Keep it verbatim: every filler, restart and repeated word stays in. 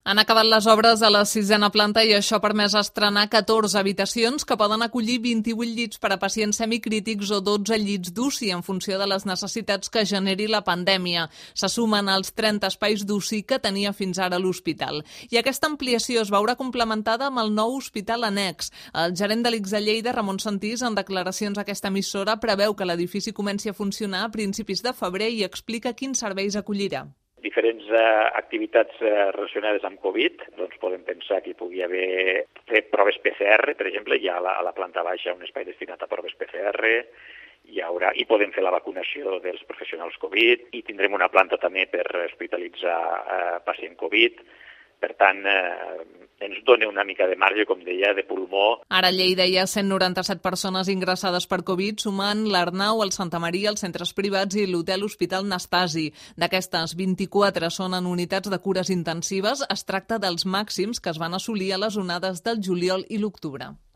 Han acabat les obres a la sisena planta i això ha permès estrenar catorze habitacions que poden acollir vint-i-vuit llits per a pacients semicrítics o dotze llits d'U C I en funció de les necessitats que generi la pandèmia. Se sumen als trenta espais d'U C I que tenia fins ara l'hospital. I aquesta ampliació es veurà complementada amb el nou hospital annex. El gerent de l'I C S a Lleida, Ramon Santís, en declaracions a aquesta emissora, preveu que l'edifici comenci a funcionar a principis de febrer i explica quins serveis acollirà. Diferents eh, activitats eh, relacionades amb Covid, doncs podem pensar que hi pugui haver fer proves P C R, per exemple, hi ha a la, a la planta baixa un espai destinat a proves P C R, hi haurà, i podem fer la vacunació dels professionals Covid, i tindrem una planta també per hospitalitzar eh, pacient Covid. Per tant, eh, ens dona una mica de marge, com deia, de pulmó. Ara a Lleida hi ha cent noranta-set persones ingressades per Covid, sumant l'Arnau, el Santa Maria, els centres privats i l'Hotel Hospital Nastasi. D'aquestes, vint-i-quatre són en unitats de cures intensives. Es tracta dels màxims que es van assolir a les onades del juliol i l'octubre.